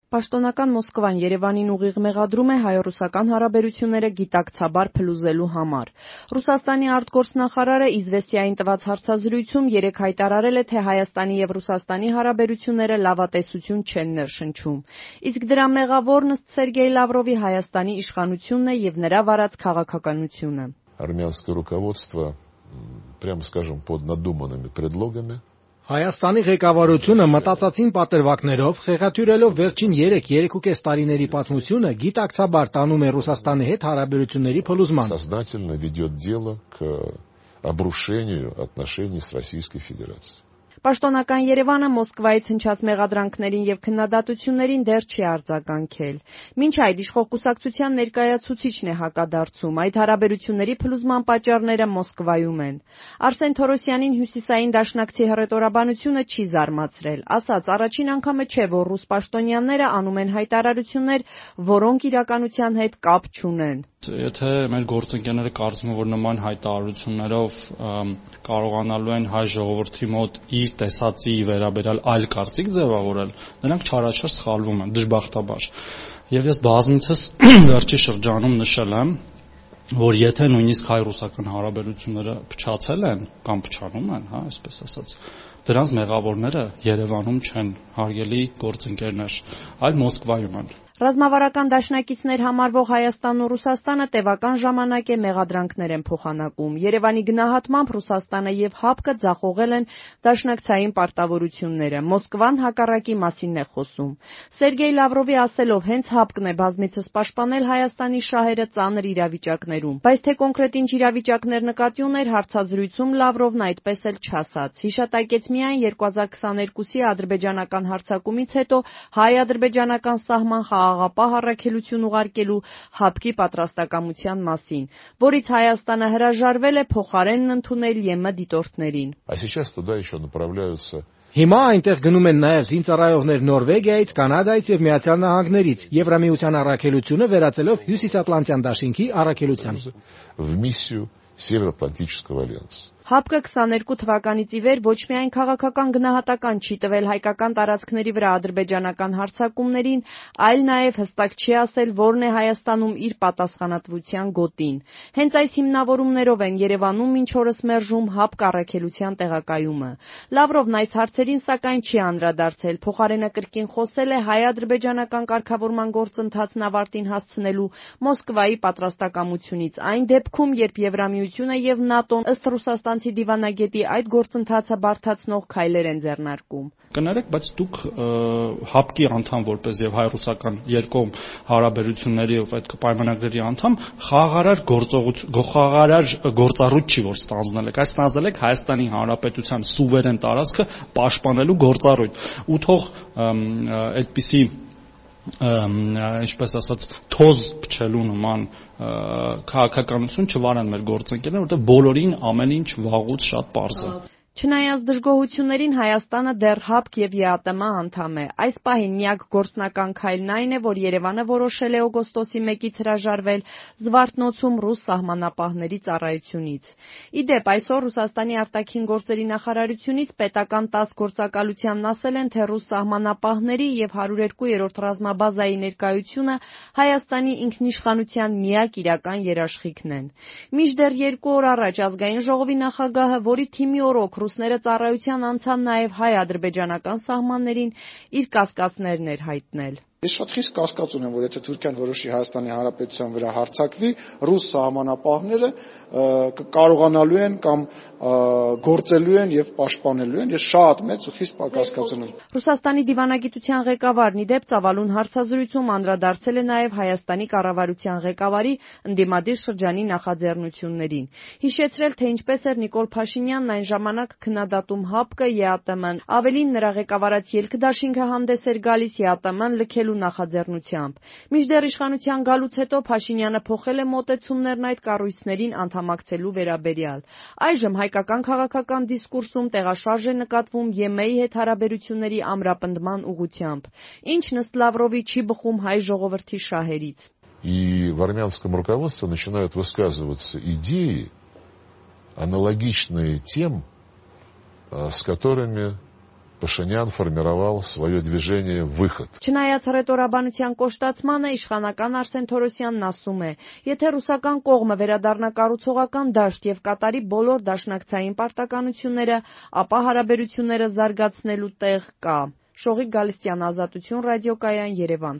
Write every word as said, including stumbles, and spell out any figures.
Պաշտոնական Մոսկվան Երևանին ուղիղ մեղադրում է հայ-ռուսական հարաբերությունները գիտակցաբար փլուզելու համար։ Ռուսաստանի արտգործնախարարը «Իզվեստիային» տված հարցազրույցում երեկ հայտարարել է, թե Հայաստանի և Ռուսաստանի հարաբերությունները լավատեսություն չեն ներշնչում։ Իսկ դրա մեղավորն ըստ Սերգեյ Լավրովի Հայաստանի իշխանությունն է և նրա վարած քաղաքականությունը։ Армянское руководство, прямо скажем, под надуманными предлогами. Հայաստանի ղեկավարությունը մտածածին պատրվակներով, խեղաթյուրելով վերջին երեք-երեքուկես տարիների պատմությունը, գիտակցաբար տանում է Ռուսաստանի հետ հարաբերությունների փլուզման։ Сознательно ведет дело к обрушению отношений с Российской Федерацией. Պաշտոնական Երևանը Մոսկվայից հնչած մեղադրանքներին և քննադատություններին դեռ չի արձագանքել։ Մինչ այդ իշխող կուսակցության ներկայացուցիչն է հակադարձում, այդ հարաբերությունների փլուզման պատճառները Մոսկվայում են։ Արսեն Թորոսյանին Հյուսիսային դաշնակցի հռետորաբանությունը չի զարմացրել, ասաց, առաջին անգամը չէ, որ ռուս պաշտոնյաները անում են հայտարարություններ, որոնք իրականության հետ կապ չունեն։ Եթե մեր գործընկերները կարծում են, որ նման հայտարարություններով կարողանալու են հայ ժողովրդի մոտ իր տեսածի վերաբերյալ այլ կարծիք ձևավորել, նրանք չարաչար սխալվում են, դժբախտաբար։ Եվ ես բազմիցս վերջի շրջանում նշել եմ, որ եթե նույնիսկ հայ-ռուսական հարաբերությունները փչացել են կամ փչանում են, հա, այսպես ասած, դրանց մեղավորները Երևանում չեն, հարգելի գործընկերներ, այլ Մոսկվայում են։ Ռազմավարական դաշնակիցներ համարվող Հայաստանն ու Ռուսաստանը տևական ժամանակ է մեղադրանքներ են փոխանակում։ Երևանի գնահատմամբ Ռուսաստանը և ՀԱՊԿ-ը ձախողել են դաշնակցային պարտավորությունները։ Մոսկվան հակառակի մասին է խոսում։ Սերգեյ Լավրովի ասելով, հենց ՀԱՊԿ-ն է բազմիցս պաշտպանել Հայաստանի շահերը ծանր իրավիճակներում։ Բայց թե կոնկրետ ինչ իրավիճակներ նկատի ուներ հարցազրույցում Լավրովն այդպես էլ չասաց։ Հիշատակեց միայն երկու հազար քսաներկուսի ադրբեջանական հարձակումից հետո հայ-ադրբեջանական սահման աղապահ առաքելություն ուղարկելու ՀԱՊԿ-ի պատրաստակամության մասին, որից Հայաստանը հրաժարվել է փոխարենն ընդունել ԵՄ դիտորդներին։ Հիմա այնտեղ գնում են նաև զինծառայողներ Նորվեգիայից, Կանադայից և Միացյալ Նահանգներից, Եվրամիության առաքելությունը վերածելով Հյուսիսատլանտյան դաշինքի առաքելության։ ՀԱՊԿ-ը քսաներկու թվականից ի վեր ոչ միայն քաղաքական գնահատական չի տվել հայկական տարածքների վրա ադրբեջանական հարձակումներին, այլ նաև հստակ չի ասել, որն է Հայաստանում իր պատասխանատվության գոտին։ Հենց այս հիմնավորումներով են Երևանում մինչ օրս մերժում ՀԱՊԿ առաքելության տեղակայումը։ Լավրովն այս հարցերին սակայն չի անդրադարձել, փոխարենը կրկին խոսել է հայ-ադրբեջանական կարգավորման գործընթացն ավարտին հասցնելու Մոսկվայի պատրաստակամությունից, այն դեպքում, երբ Եվրամիությունը և ՆԱՏՕ-ն ըստ ռուսաստանցի դիվանագետի այդ գործընթացը բարդացնող քայլեր են ձեռնարկում։ Կներեք, բայց դուք ՀԱՊԿ-ի անդամ որպես եւ հայ-ռուսական երկկողմ հարաբերությունների եւ այդ պայմանագրերի անդամ խաղաղարար գործողություն, խաղաղարար գործառույթ չի որ ստանձնել եք, այս ստանձնել եք Հայաստանի Հանրապետության սուվերեն տարածքը պաշտպանելու գործառույթ։ Ու թող այդպիսի ինչպես ասած թոզ փչելու նման քաղաքականություն չվարան մեր գործընկերները, որտեղ բոլորին ամեն ինչ վաղուց շատ պարզ է։ Չնայած դժգոհություններին Հայաստանը դեռ ՀԱՊԿ և ԵԱՏՄ անդամ է։ Այս պահին միակ գործնական քայլն այն է, որ Երևանը որոշել է օգոստոսի մեկից հրաժարվել Զվարթնոցում ռուս սահմանապահների ծառայությունից։ Ի դեպ, այսօր Ռուսաստանի արտաքին գործերի նախարարությունից պետական տաս գործակալությանն ասել են, թե ռուս սահմանապահների և հարյուրերկուերորդ ռազմաբազայի ներկայությունը Հայաստանի ինքնիշխանության միակ իրական երաշխիքն են։ Մինչդեռ երկու օր առաջ Ազգային ժողովի նախագահը, որի թիմի օրոք ռուսները ծառայության անցան նաև հայ-ադրբեջանական սահմաններին, իր կասկածներն էր հայտնել։ Ես շատ խիստ կասկած ունեմ, որ եթե Թուրքիան որոշի Հայաստանի Հանրապետության վրա հարձակվի, ռուս սահմանապահները կարողանալու են կամ գործելու են եւ պաշտպանելու են։ Ես շատ մեծ ու խիստ կասկած ունեմ։ Ռուսաստանի դիվանագիտության ղեկավարն ի դեպ ծավալուն հարցազրույցում անդրադարձել է նաև Հայաստանի կառավարության ղեկավարի ընդդիմադիր շրջանի նախաձեռնություններին։ Հիշեցրել, թե ինչպես էր Նիկոլ Փաշինյանն այն ժամանակ քննադատում ՀԱՊԿ-ը, ԵԱՏՄ-ն, ավելին նրա ղեկավարած Ելք-դաշինքը հանդես էր գալիս ԵԱՏՄ-ն լքել նախաձեռնությամբ։ Մինչդեռ իշխանության գալուց հետո Փաշինյանը փոխել է մոտեցումներն այդ կառույցներին անդամակցելու վերաբերյալ։ Այժմ հայկական քաղաքական դիսկուրսում տեղաշարժ է նկատվում ԵՄ-ի հետ հարաբերությունների ամրապնդման ուղղությամբ, ինչն ըստ Լավրովի չի բխում հայ ժողովրդի շահերից։ И в армянском руководстве начинают высказываться идеи, аналогичные тем, с которыми Փաշինյան формировал свое движение «Выход». Չնայած հռետորաբանության կոշտացմանը, իշխանական Արսեն Թորոսյանն ասում է, եթե ռուսական կողմը վերադառնա կառուցողական դաշտ եւ կատարի բոլոր դաշնակցային պարտականությունները, ապա հարաբերությունները զարգացնելու տեղ կա։ Շողիկ Գալստյան, Ազատություն ռադիոկայան, Երևան։